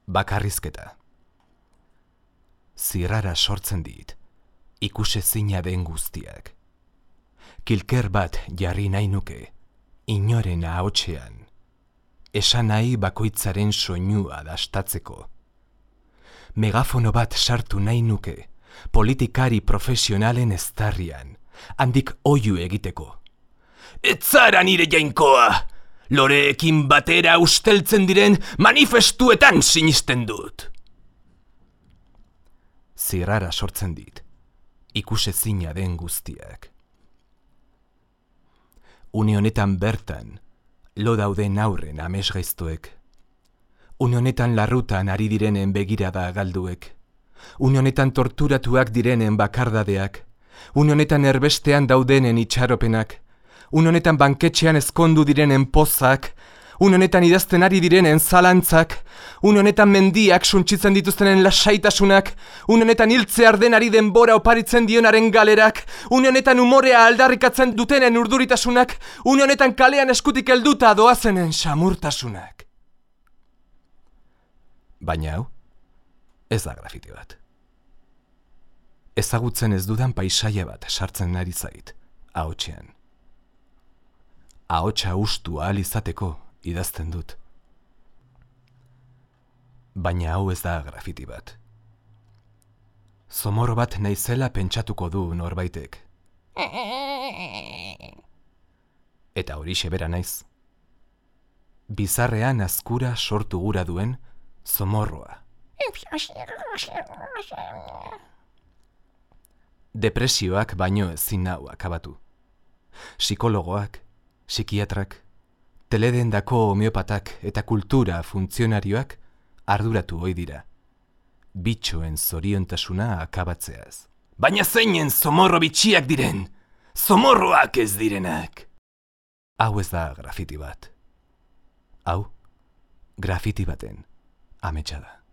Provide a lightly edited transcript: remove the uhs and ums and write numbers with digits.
Bakarrizketa. Zirrara sortzen dit, ikusezina den guztiak. Kilker bat jarri nahi nuke, inoren ahotsean, esan nahi bakoitzaren soinua dastatzeko. Megafono bat sartu nahi nuke, politikari profesionalen eztarrian, handik oihu egiteko. Ez zara nire jainkoa! Loreekin batera usteltzen diren manifestuetan sinisten dut. Zirrara sortzen dit, ikusezina den guztiak. Une honetan bertan, lo dauden aurren amesgaiztuek. Une honetan larrutan ari direnen begirada galduek. Une honetan torturatuak direnen bakardadeak. Une honetan erbestean daudenen itxaropenak. Une honetan banketxean ezkondu direnen pozak, une honetan idazten ari direnen zalantzak, une honetan mendiak suntsitzen dituztenen lasaitasunak, une honetan hiltzear denari denbora oparitzen dionaren galerak, une honetan umorea aldarrikatzen dutenen urduritasunak, une honetan kalean eskutik helduta doazenen samurtasunak. Baina hau, ez da grafiti bat. Ezagutzen ez dudan paisaia bat sartzen ari zait, ahotsean. Ahotsa ustu ahal izateko idazten dut. Baina hau ez da grafiti bat. Zomorro bat naizela pentsatuko du norbaitek. Eta horixe bera naiz. Bizarrean azkura sortu gura duen zomorroa. Depresioak baino ezin nau akabatu. Psikologoak, psikiatrak, teledendako homeopatak eta kultura funtzionarioak arduratu ohi dira. Bitxoen zoriontasuna akabatzeaz. Baina zeinen zomorro bitxiak diren, zomorroak ez direnak. Hau ez da grafiti bat. Hau, grafiti baten ametsa da.